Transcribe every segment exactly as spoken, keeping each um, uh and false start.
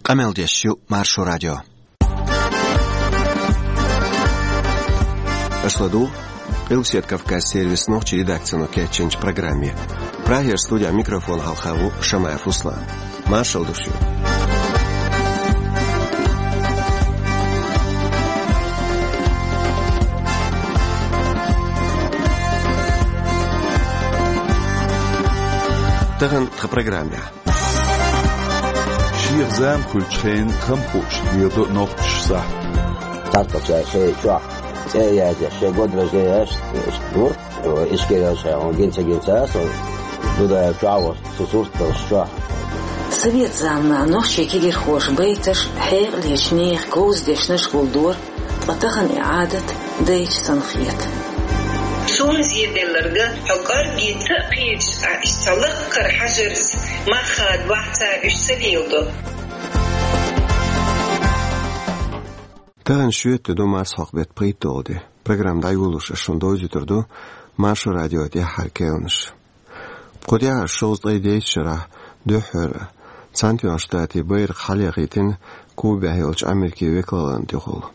Къамел деш ю Маршо радио. Аша ладугӀу Къилбаседа Кавказан сервисан нохчийн редакцино кечйинчу программе. Прагера студехь микрофон хьалха ву Шамаев Руслан. Маршалла ду шуьга. Тахана тхан программехь. Шех зама хуьлучу хенан хам хууш леладо нохчаша сахьт. Цхьацца шайн чохь цӀе а язъеш, шайн гӀо дражде еш, иштта гур, Ишкерера шайн гинца-гинца а со Дудаев чохь а волуш, цу сурт долуш чохь. Совет заманахь нохчийн кегийрхоша байташ, хьекъалечу нехан говза дешнаш гулдора, ткъа тахана и Ӏадат дайча санна хета. Суна зеделларг, хьо кӀорггица а кхеташ, а иштта лаккхара хьажарца мах хадабахь цара уьш ца леладо. Тахана шоьтан де ду, марсхьокху беттан пхийтталгӀа де. Программа дӀайолош ас шуна довзуьйтур ду Маршо радион тӀаьххьара керланаш. Кху тӀаьххьара шовзткъе дейтта шарахь дуьххьара Цхьаьнатоьхначу Штатийн байракх хьалаяхийтина Кубехь йолчу Америкин векалаллин тӀехула.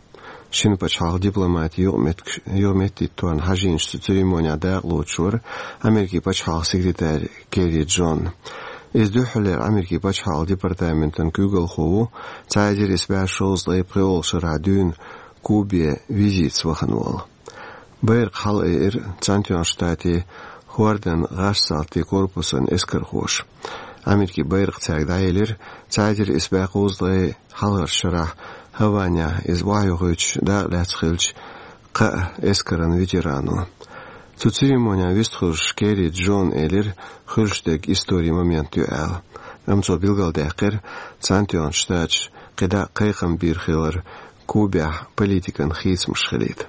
Шина пачхьалкхан дипломатийн юкъаметтигаш, юкъаметтигторна хьажийначу цу церемонехь дакъалоцуш вара Америкин пачхьалкхан секретарь Керри Джон. Иза дуьххьарлера Америкин пачхьалкхан департаментан куьйгалхо ву, цхьа эзар исс бӀе шовзткъе пхоьалгӀачу шарахь дуьйна Кубе визитаца вахана волу. Байракх хьалаайира Цхьаьнатоьхначу Штатийн хӀордан гӀазкхийн салтийн корпусан эскархоша. Америкин байракх цаьрга дӀаелира цхьа эзар исс бӀе кхузткъе хьалхарчу шарахь Гаванехь иза охьаюхуьйтуш дакъа лаьцна хиллачу кхаа эскаран ветерано. Цу церемонехь вистхуьлуш Керри Джона элира, хуьлуш дерг историн момент ю аьлла. Амма цо билгалдаьккхира, Цхьаьнатоьхначу Штаташа кхидӀа кхайкхам бийр хилар Кубехь политикан хийцамаш хилийта.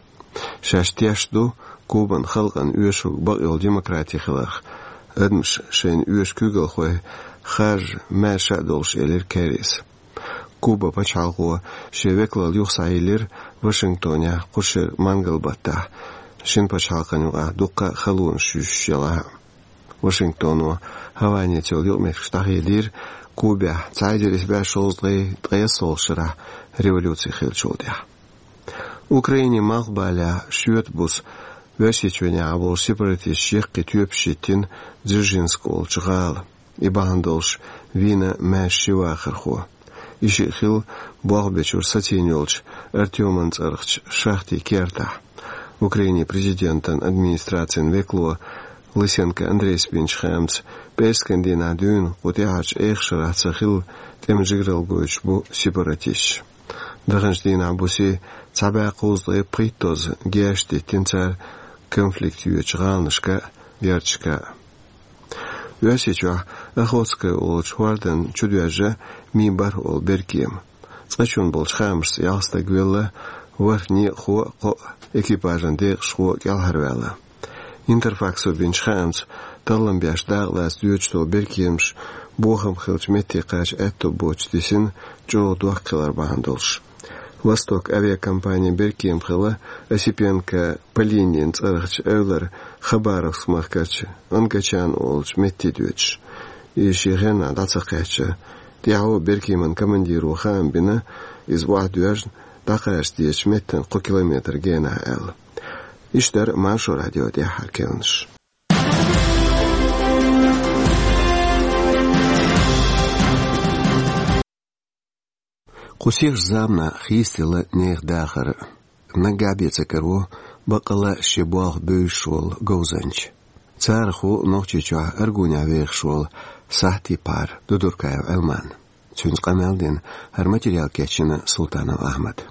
Шаьш тешна ду Кубан халкъана оьшург бакъйолу демократи хиларх, адамаш шайна оьшу куьйгалхой харжа маьрша а долуш, элира Керрис. Кубан пачхьалкхо шен векалалла юха схьайиллира Вашингтонехь кху шеран мангал-баттахь, шина пачхьалкхан юкъахь дуккха а халонаш юьсуш елахь а. Вашингтоно Гаванеца йолу юкъаметтигаш дӀахедийра Кубехь цхьа эзар исс бӀе шовзткъе ткъайоьсналгӀачу шарахь революци хиллачул тӀаьхьа. Украинин малхбалехь шоьтан буса Оьрсийчоьнехь болчу сепаратисташа яккхий тоьпаш йиттина Дзержинск олучу гӀала. И бахьана долуш вийна маьрша ши вахархо. И шиъ хилла болх бечуьра сацийна йолчу Артеман цӀарахчу шахтин кертахь. Украинин президентан администрацин векало Лысенко Андрейс бинчу хаамца, пӀераскан дийнахь дуьйна кху тӀаьхьарчу эха шарахь ца хилла тӀеман жигаралла гойтуш бу сепаратисташ. Даханчу дийнахь бусе цхьа бӀе кхузткъе пхийттазза геш диттина цара конфликт йоьдучу гӀаланашка а, герзашка а. Оьрсийчохь Охотское олучу хӀордан чу доьжна Ми-бархӀ олу беркема. Цкъачунна болчу хаамашца ялх стаг велла, ворхӀ некъахо а, кхоъ экипажан декъашхо а кӀелхьарваьлла. Интерфаксо бинчу хаамца, таллам беш дакъалаца доьдуш долу беркемаш бохам хиллачу метте кхача аьтто боцуш дисина чӀогӀа дохко хилар бахьана долуш. «Восток» авиакомпанин беркема хилла Осипенко Полинин цӀарахчу эвлара Хабаровск махкарчу Онгачан олучу метте доьдуш. И шен хенахь дӀа ца кхаьчча, тӀаьхьо беркеман командиро хаам бина, иза охьадоьжна, дӀакхача дезачу меттан кхо километр генахь аьлла. Иштта дара Маршо радион тӀаьххьара керланаш. Кху сихачу заманахь хийцаделла нехан дахар. Наггахь бен ца караво баккъалла а шен болх бевзаш волу говзанча. Царах ву Нохчийчохь Аргунехь вехаш волу сахьтийн пхьар Дудуркаев Ӏилман. Цуьнца къамел дина, хӀара материал кечйина Султанов Ахьмада.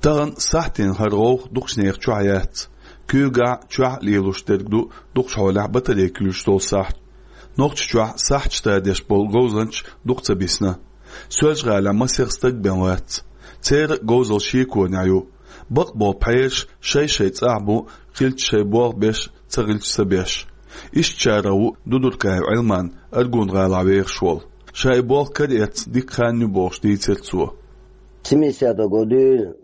Тахана сахьтийн хӀара гӀовгӀа дукхачу нехан чохь яц. Куьйгахь, чохь а лелош дерг ду дукхачу хьолехь батарей куьйлуш долу сахьт. Нохчийчохь сахьташ тадеш болу говзанчаш дукха ца бисна. Соьлжа-ГӀалахь масех стаг бен вац. Церан а говзалла шеконехь ю. Бакъ болу пхьераш шай-шайн цӀахь бу, хилча шайн болх беш, ца хилча ца беш. Ишттачарах ву Дудуркаев Ӏилман, Аргун-гӀалахь вехаш волу. Ша и болх караэцна дика хан ю бохуш дийцира цо. Семидесятого году,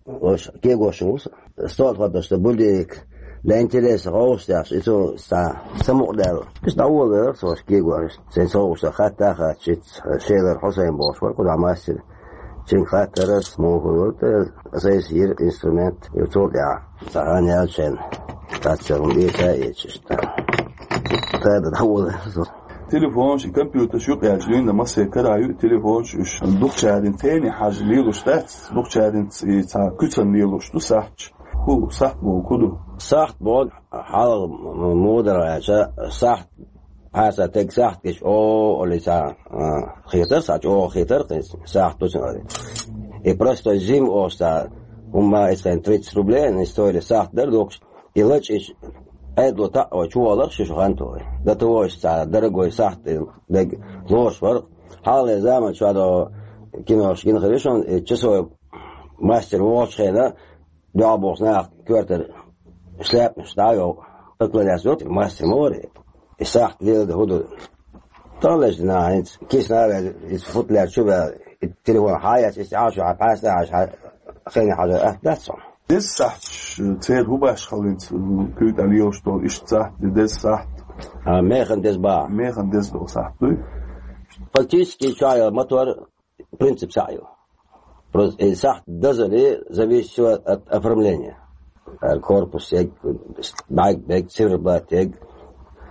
ош, кегош ву со. Столхадашта будильник Для интереса гӀовшдеш, и цо са самукъадаьлла. Иштта дӀаволавелар со кегош. Сайн совгӀаташ хатта а хатта, шелар Хьусайн бохуш вара кху дӀа мастер. Цуьнга хаттар ас, муха хӀума вара те, ас айса йира инструмент, и цул тӀаьхьа цхьа хан яьлча шайна. Цхьацца хӀума эца а эцаш иштта. Тада дӀаволавелар со. Телефонаш, компьютераш юкъаьлча дуьйна массе кара ю телефонаш уьш. Дукхачарна тайне хьажа лелаш дац, дукхачарна и цхьа куьцана лелаш ду сахьташ. ХӀу сахьт боху, хӀу ду? Сахьт боху, хьалха м-, муха дара аьлча, сахьт, пхьарса тайга сахьт гича, о, олий цхьа, а, хетар, цхьа чӀогӀа хетар, кхин сахьт ду цунах. И простой зима оста, хӀумма, и цхьа тридцать рублей, они стоили сахьт дара доккхуш. И лачкъаш Ӏедало таӀо чувалар шу шу хан тохи. До того, что цхьа дорогой сахьт дерг лоруш вара. Хьалхале заман чохь до кинош гина хир ю шуна, и часовой мастер вогӀучу хенахь, дуьхьал бохуш наха коьртара шляпаш дӀа а йоху, поклоняться йоцу, мастер ма вара. И сахьт леладан хӀу ду? Тахлеш дина хӀинца, кисана а ваьлла, иза футлаьрчу а ваьлла, и телефон хьан яц, иза Ӏашо хьан пхьаста а хьажа, хьан хене хьажа атта дац хьуна. Деза сахьташ, церан хӀу баш хилла хӀинца, куьйга тӀе лелаш долу, иштта сахьт, деза сахьт. А, механ деза баха. Механ деза долу сахьт дуй? Фактически, чохь йолу мотор принцип цхьаъ ю. Просто и сахьт дазале зависит всё от оформления. Э, корпус эг, бӀаьрг бег, циферблат эг,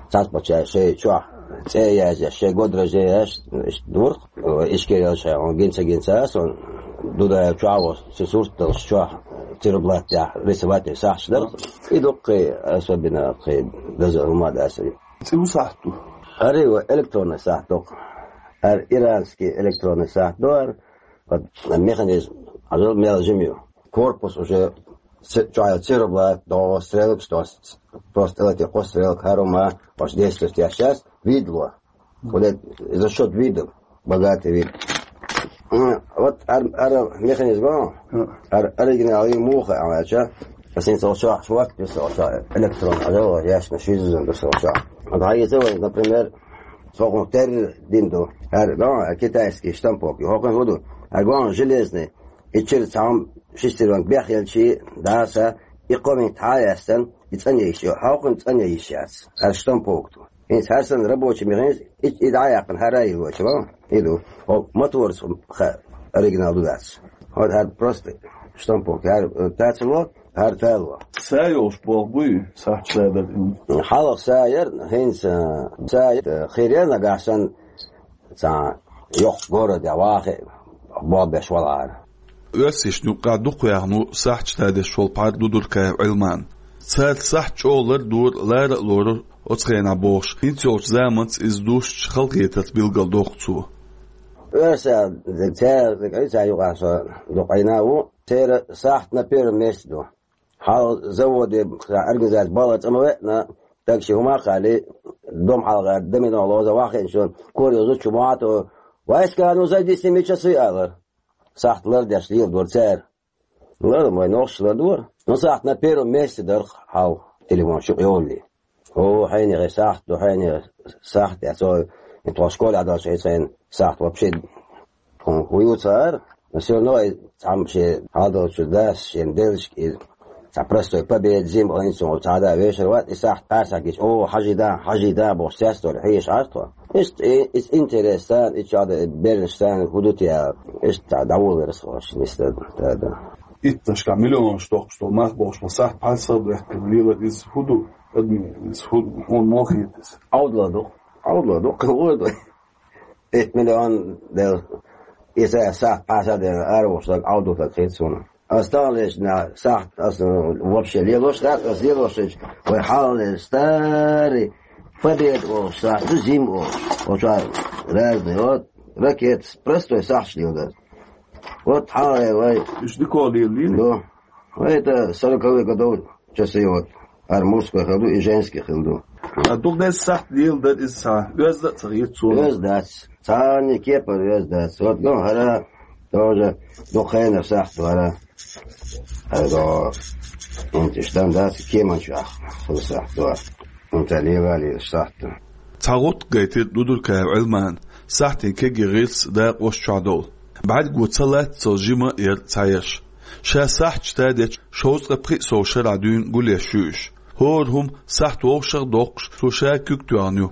цхьацца паччахь шайн чохь цӀе а язъеш, шайн год рождения еш, иштта дурх, э, ишкерел шайн, он гинца гинца, сон Дудаев чохь а, со сурт долуш чохь, циферблат тӀехь рисовать сахьташ дара. И дуккхий, особенно кхин даза хӀума дац. ЦӀе хӀу сахьт ду? Ари, ва электронный сахьт ду. Ар иранский электронный сахьт ду ар. Вот механизм, а мел жима ю. Корпус уже ц-, чохь циферблат, до стрелок, что с-, просто эти кхо стрелок, хӀара хӀума, аш десять сейчас, видло. Вот это за счёт видов, богатый вид. М, вот ар-, ара механизм, а? Ар-, оригинал и муха, а, ча? Ас ин сол шах, швак, пи сол шах, электрон, а, да, ясно, шизон, да, сол шах. А да, если вы, например, сокъун тер динду, ар, да, китайский штампок, и хокъун худу, а главное железный, и через сам шестерёнка бяхелчи, да, са, и комин таястан, и цанейш, и хокъун цанейш яц, ар штампок ту. ХӀинца хӀара санна рабочий механизм, и, и дӀаяьккхина хӀара а йилочу, ва? И ду. Хьо моторца ха-, оригинал ду дац. Вот хӀара просто штампок, хӀара, э, тацало, хӀара тало. Са йолуш болх буй, сахьча са дара? Хьалха са яра, хӀинца, э, са яра, э, хир яра нагахь санна, цхьа йоккха город я вахе, болх беш валахьара. Оьрсашна юккъехь дукха ваьхна ву сахьташ тадеш волу пхьар Дудуркаев Ӏилман. Цара сахьт чӀогӀа лардора, лара а лорура оцу хенахь бохуш, хӀинца йолчу заманца иза дустучу халахетарца билгалдоккху цо. Оьрсаша, цара, цара юкъахь со дукха Ӏийна а ву, церан сахьт на первом месте ду. Хьал заводе, организация бала цӀа ма веана, так ши хӀума а хали, дом хьалха домино лоза вахинчун, кор йозу чу муьтӀахь, вайскану зайди с ними часы алар. Сахьт лардеш леладора цара. Лар, вай нохчаша лардора. Ну, сахьт на первом месте дара хьал телефон чу йолли. О, хьайнехе сахьт ду, хьайнехе сахьт, я цо, и тхо школе Ӏадалчу хьайца хьайна сахьт вообще тхуна хӀу ю цара. Но всё равно и цхьамма шен хьалдолчу дас, шен деллашка и цхьа простой победа, зима, хӀинца цхьа да вешар вац, и сахьт пхьарсахь гича, о, хьажий да, хьажий да, бохуш, цецдолу хьеша Ӏаш тхо. Иштта и, иза интерес царна, и чохь бернаш царна хӀу ду те аьлла, иштта дӀаволавелира со, нисдара, да, да. Итташкахь миллионаш доккхуш долу мах бохуш, ма сахьт пхьарсах а бехкина лелар, иза хӀу ду, адми, иза хӀу ду, хьуна мохийта иза? Ӏовдало ду. Ӏовдало ду, кхин хӀун ду? Итт миллион дела, иза сахьт пхьарсах а дела, ара вохуш даг Ӏовдалург хета суна. Ас тахлечу дийнахь сахьт ас вообще лелош дац, ас лелош хилча, вай хьалхале старый победа олуш сахьт ду, зима олуш. Оцу разный, вот, ракетас, простой сахьташ леладар. Вот хьалхале вай. Уьш дика лелийна? Да. Вай это сороковые годов часы, вот. Ар мужской хила ду и женский хила ду. А дукха деза сахьт леладар иза цхьа оьзда а ца хета суна. Оьзда дац. Цхьанне кепара оьзда дац. Вот, ну, хӀара тоже дукха хенара сахьт ду хӀара. ХӀара до. ХӀинца иштта дац, кеман чохь хила сахьт ду. ХӀинца лелале сахьт ду. Цхьа гӀутта гайтира Дудуркаев Ӏилмана, сахьтийн кегий гӀирс дакъош чохь долу. БӀаьрго ца латтацал жима а яра цхьаерш. Ша сахьташ тадечу шовзткъе пхи сов шарахь дуьйна гулъеш ю уьш. ХӀора хӀума сахьт вовшах доккхуш, цо ша куьг тоьхна ю.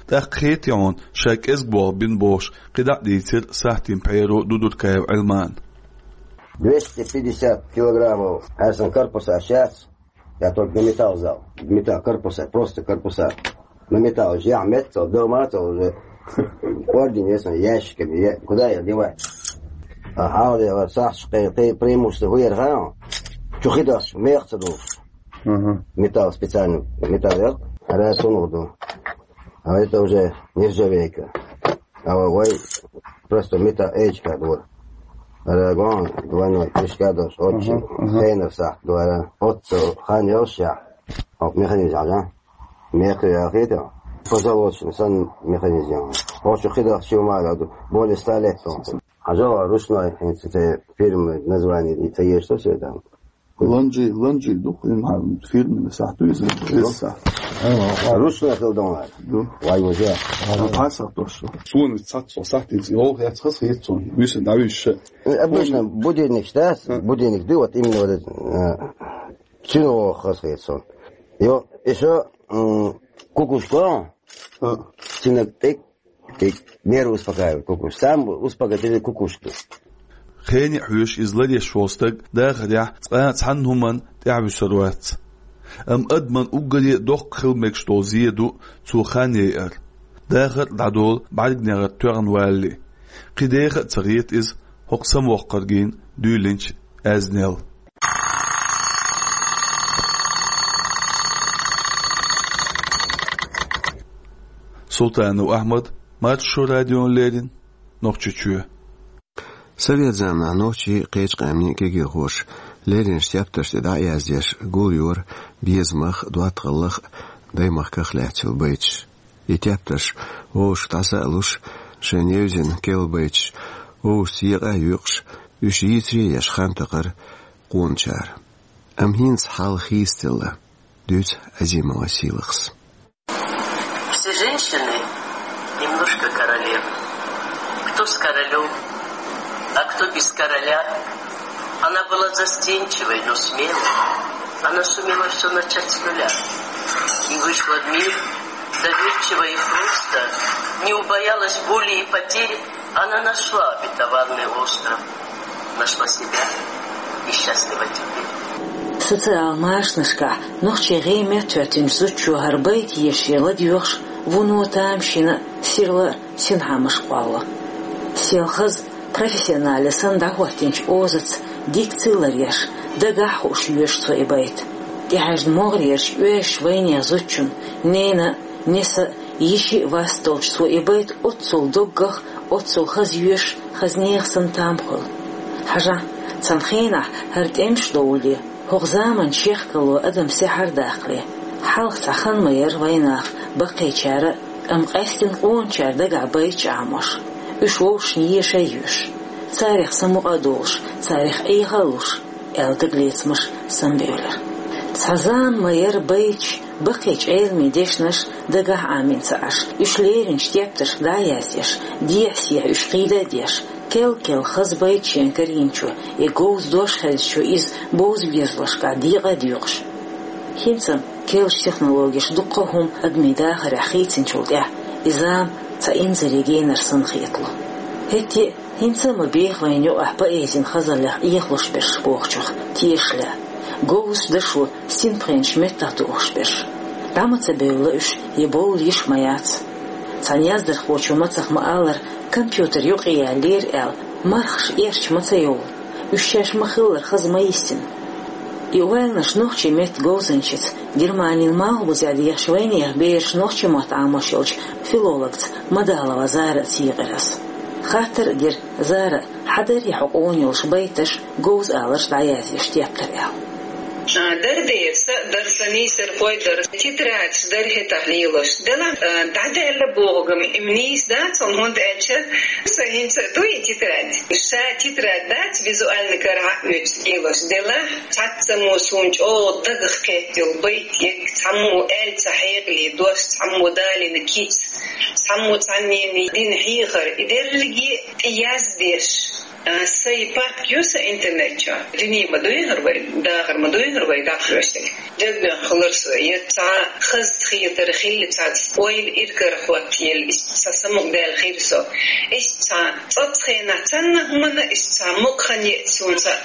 ТӀаккха хетий хьуна, ша кӀезиг болх бина бохуш, кхидӀа а дийцира сахьтийн пхьеро Дудуркаев Ӏилмана. Двести пятьдесят килограммов, а сан корпуса сейчас, я только на металл взял. Металл корпуса, просто корпуса. На металл уже, а металл дома, это уже орден, если ящиками, я, куда я девать? А, а, вот, вот, Саш, ты, ты преимущество хуер, ха? Чухидас, мех цадуш. Ага. Металл специально, металл, я, а я сунул, да. А это уже нержавейка. А вай просто металл эйчка, да. А я гон, двойной, пешка, да, очень. Ага, ага. Хейнер, Саш, да, я. Вот, э, хан, я, ща. Вот, механизм, да? Мех яхийтар. Позолоченный сан механизм. Очень хидах чума, более ста лет он. А жо ручной, это фирмы название, это есть, что всё там. Ланжи, ланжи, дух, им ха, фирмы сахьт ду, если сахьт. Ручной хилдон. Ду. Вай уже. А пасах то, что. Суна цац со сахьт из, йо, я цхас хет сон. Виса давиш. Обычно будильник, да? А. Будильник, да, вот именно вот этот, э, Чино хас хет сон. Йо, ещё, м, кукушка. А. Чино тик, тик, нервы успокаивает кукушка. Сам успокоительный кукушка. Хене хьоьжуш иза ларъеш волу стаг дахарехь цкъа а цхьанна хӀуманна тӀаьхьавуьсур вац. Амма адаман уггаре а доккха хила мегаш долу зен ду цо хан яйар. Дахар а дӀадолу бӀаьргнегӀар тоьхна валале. Кхин деха а ца хета иза хӀокху самавоккхаргийна дуьйлинчу аьзнел. Султанов Ахьмад, Маршо радиона леррина, Нохчийчоь. Совет заманахь нохчий, кхечу къаьмнийн кегийрхоша лерринчу тептарш тӀе дӀа а яздеш, гулйора безамах а, доттагӀаллах а, даймахках а лаьцна йолу байташ. И тептарш вовшашка дӀаса а луш, шайна евзина керла байташ вовшашца екъа а йоькъуш, уьш йийцаре а еш, хан такхара къоначара. Амма хӀинца хьал хийцаделла, дуьйцу Азимова Сийлахьас. Все женщины немножко королевы. Кто с королём, а кто без короля. Она была застенчивой, но смелой. Она сумела всё начать с нуля. И вышла в мир доверчиво и просто, не убоялась боли и потерь. Она нашла обетованный остров, нашла себя и счастлива теперь. Социал-машанашкахь нохчийн гӀий меттахӀоьттинчу зудчо хӀара байт ешъе ладоьгӀуш вуно тамашийна сирла синхьамаш кхолло. Сел хаза, профессионально санна дӀахӀоттийначу озаца дикци ларъеш, дагахь а хууш йоьшу цо и байт. ТӀехьаьжна могӀарерчу оьшучу вайнехан зудчун, ненан, несан, йишин вас долчу цо и байт оццул доггах, оццул хаза йоьшуш, хаза нехан санна там хуьлу. Хьажахь, цхьана хенахь хӀара тӀемаш довлале, хӀокху заманан чехкало адам сехьар даккхале, хьалха цхьа хан ма яра вайнаха баккхийчара, амма къаьсттина къоначара дагахь байташ Ӏамош, уьш вовшашна еша а йоьшуш, царах самукъа а долуш, царах Ӏеха а луш, аьлла дагалецамаш самабевлира. Цхьа зама ма яра байташ, баккхийчу Ӏеламийн дешнаш дагахь Ӏамийна ца Ӏаш, уьш лерринчу тептаршка дӀа а яздеш, дехьа-сехьа уьш кхийда а деш, кел-кел хаза байт шена карийначо я говза дош хезначо иза бовза безамашкахь декъа а доькъуш. ХӀинца-м керлачу технологеша дуккха а хӀума адамийн дахарехь хийцинчул тӀаьхьа и зама цхьа инзаре генар санна хетало. ХӀетте а, хӀинца а ма беха вайна юкъахь поэзин хазаллех Ӏехалуш берш бохучух тешаш лаьа. Говзачу дашо синпхенаш меттахтухуш берш. ДӀа ма ца бевлла уьш, я бовла йиш ма яц. Цхьана яздархочо мацах ма-аллара, компьютер юкъе яьллера аьлла, мархаш эрча ма ца йовлу. Уьш шаьш ма-хиллара хаза ма йистина. И ойланаш нохчийн меттан говзанчица, Германин малхбузехь дехачу вайнехан бераша нохчийн мотт Ӏамош йолчу филологца Мадалова Зара а цийкъира ас. Хаттар а дира Зара, хьан дарий хьо къона йолуш байташ, говза аларш дӀаяздеш тептар аьлла. А, дара дера, сан а дара, сан нийсархой а дара. Тетрадаш дара хӀетахь лелош. Делахь, а, дӀадаьлла бохург-м, им нийса дац хьуна, хӀунда аьлча сан хӀинца а ду и тетрадь. Ша тетрадь дац, визуально карахь а оьцуш лелош. Делахь, цхьаццаммо суна чӀогӀа дагах кхетта йолу байт ерг, цхьаммо аьлла ца хьекъале дош, цхьаммо далийна кица, цхьаммо цхьаннена дина хьехар. И дерриге а тӀе яздеш. А, сайн папка ю сан интернет чохь. Дуьне ма дуй хӀара вай, дахар ма дуй хӀара. вай дӀахьоьжург. Дегнех хилар со, я цхьа хаза хетар хилла цхьацца, ойла иргар хӀоттаелла, иштта цхьа самукъадаьлла хир со. Иштта цхьа цӀацца хенахь цхьанна хӀуманна иштта цхьа мукъа хан еъ суна цхьа.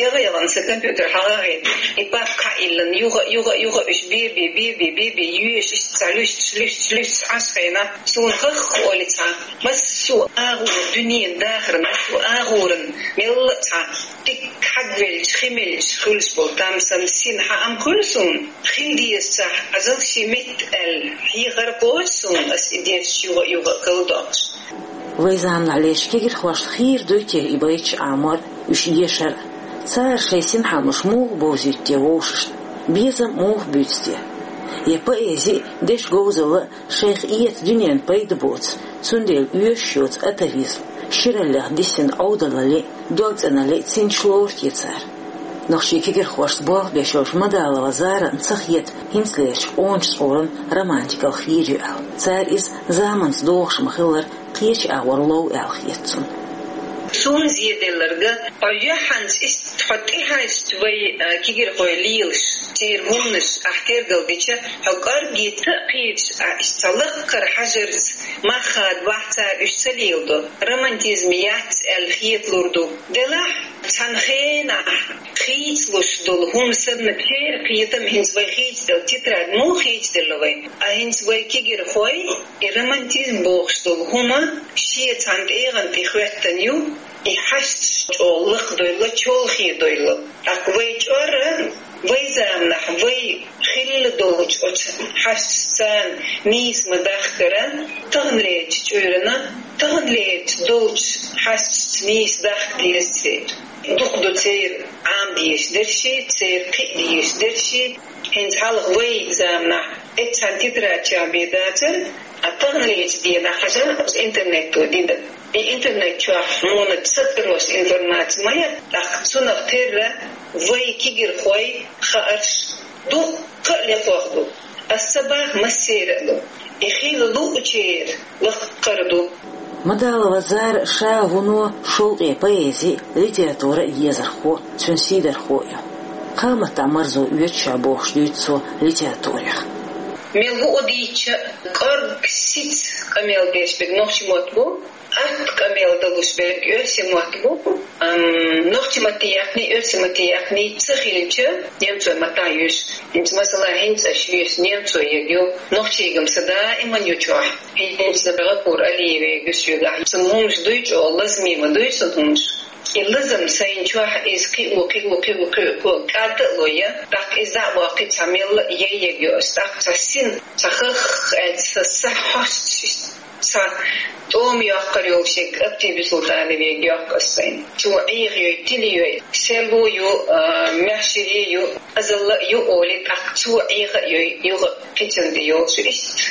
Ягъа-ягъана сан компьютер хьагӀагӀийна, и папка хьаиллина, юха, юха, юха уьш бе-бе, бе-бе, бе-бе, йоьшуш, иштта цхьа луьсташ, луьсташ, луьсташ Ӏаш хенахь, суна хах олий цхьа. Массо а агӀор, дуьненан дахар, массо а агӀоран, мелла а цхьа дика хьагвелча, хи мелча хуьлуш болу там санна син хьаам хуьлу суна. Хила дезачохь, Ӏазал шен метта аьлла, хьехар кхочу суна, ас и дешаш юха-юха а кхалдоккхуш. Вай заманахь лерчу кегирхошна хийра дуй те и байташ Ӏамор, уьш ешар? Цара шайн синхьамаш муха бовзуьйту те вовшашна? Безам муха буьйцу те? Я поэзи а, дешан говзалла а шайх эца дуьненна пайда боцу, цундела оьшуш йоцу атавизм, шираллех диссина Ӏовдалалле а, догцӀеналле а цӀинцаш лору те цара? Нохчийн кегирхошца болх беш йолчу Мадалова Зарана ца хета хӀинцалерчу къоначу цӀоран романтикалла хийра ю аьлла. Цара иза заманца догӀуш ма-хиллара кхечу агӀор лов аьлла хета цунна. Суна зеделларг, хьо юьхьанца иштта хьо тӀехьаьжча вай, а, кегирхой лелаш, церан хӀуманаш ахь тергал дича, хьо кӀорггица а кхеташ, а, иштта цхьа лакхара хьажарца, мах хадавахь цара уьш ца леладо, романтизм яц аьлла хеталур ду. Делахь, цхьана хенахь хийцалуш долу хӀума санна, церан кхетам хӀинца вай хийцаделла, тетрадь муха хийцаделла вай? А хӀинца вай кегирхой, и романтизм бохуш долу хӀума шен цхьана тӀегӀан тӀе хӀоьттина ю, и хьашташ чӀогӀа лакхадойла, чолхедойла. ТӀаккха вай чӀора, вай заманахь, вай хилла долчу оцу хьашташца нийса ма дахкара, таханлерчу чуьйрана, таханлерчу долчу хьашташца нийса дахка деза церан. Дукха ду церан Ӏама дезаш дерш, церан кхиа дезаш дерш. ХӀинца хьалха вай заманахь эццхьана тетрадь чу бен дацара, а таханлерчу дийнахь хьажа интернето дина. И интернет чохь муна сатарош информаци ма яц, тӀаккха цунах терра вай кегирхой хаарш дуккха а лекхох ду. Ас ца баха, массеран а ду. И хила луучеран лакхара ду. Мадалова Зара ша вуно шовкъе поэзи а, литература а езархо, цуьнан сийдархо а ю. Кхаа маттахь марзо оьцу ша бохуш дуьйцу цо литературех. Мел хӀуъа дийцча, кӀорга сица къамел деш берг нохчийн мотт бу, атта къамел далуш берг оьрсийн мотт бу. Ам, нохчийн матте яьккхина, оьрсийн матте яьккхина ца хилча, немцойн маттахь йоьшу. ХӀинца, масала, хӀинца аша йоьшу немцойн ерг ю, нохчийн ерг-м сан даиман ю чохь. ХӀинца Гъапур Алиевн ерг ю соьгахь. Цуьнан хӀуманаш дуй чӀогӀа, лазаме ма дуй цуьнан хӀуманаш. И лазам сайна чохь иза кхио, кхио, кхио, кхио, кхио, кӀадда а лой, тӀаккха иза дӀа а бохкий, цхьа мелла а яй ерг ю ас, тӀаккха цхьа син, цхьа хах аьлла, сан са хьостуш, цхьа тӀома йоккхур йолуш ерг Аптиби Султановн ерг йоккху ас сайна. Цо Ӏеха йой, тиле йой, серло ю, а, маьхшаре ю, азалла а ю олий, тӀаккха цо Ӏеха а йой, юха кхечунна тӀе йолуш ю иштта.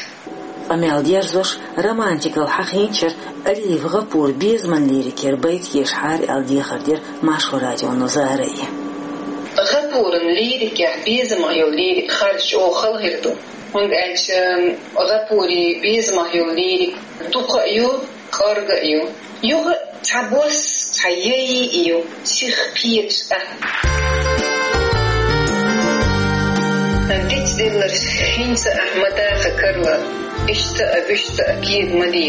Къамел дерзош, романтикалла хьахийначара Алиев Гъапура безаман лирикера байт ешахьара аьлла дехар дира Маршо радионо Заре. Гъапуран лирикехь безамах йолу лирика харжа чӀогӀа хала хир ду. ХӀунда аьлча Гъапуран безамах йолу лирика дукха а ю, кӀорга а ю. Юха а цхьа бос, цхьа яй а ю, сих кхеташ а. Дицделларш хӀинца ахь ма даха карла, иштта а, вуьшта а кеда ма де,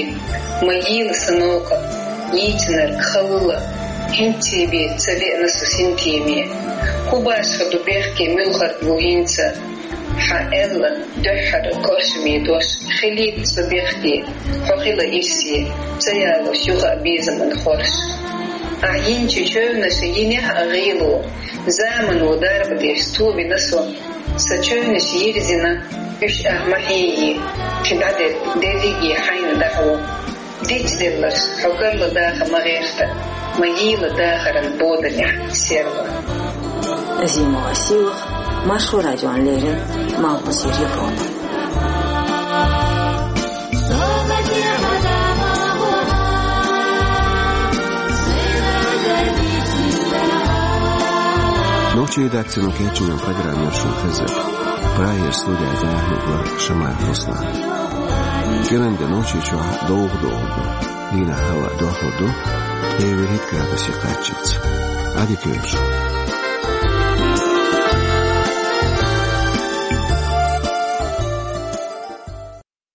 ма йийла сан новкъа, йийцинарг халла, хӀинций бен ца веана со синтеме. ХӀун башха ду бехке, муьлхарг ву хӀинца? Хьан аьлла дуьххьара коршаме дош, хилийта со бехке, хьо хила ирсе, ца ялош юха а безаман хорш. Ахь йинчу чевнаша йинехь а гӀийло, замано дарба деш тобина со. Сан чевнаш йирзина, уьш ахь ма хьиййи, кхин дӀадерг дерриге хьайна дӀахьо. Дицделларш, хьо карла даха ма гӀерта, ма йийла дахаран боданехь серла. Азимова Сийлаха, Маршо радиона леррина, Малхбузера Европа. Нохчийн редакцино кечйина программа шуна хезира. Прагера студехь дӀахьо вара Шамаев Руслан. КӀиранде Нохчийчохь довха догӀур ду. Дийнахь хӀаваъ дохлур ду, эвар итт градусе кхаччалц. Ӏадика йойла шун.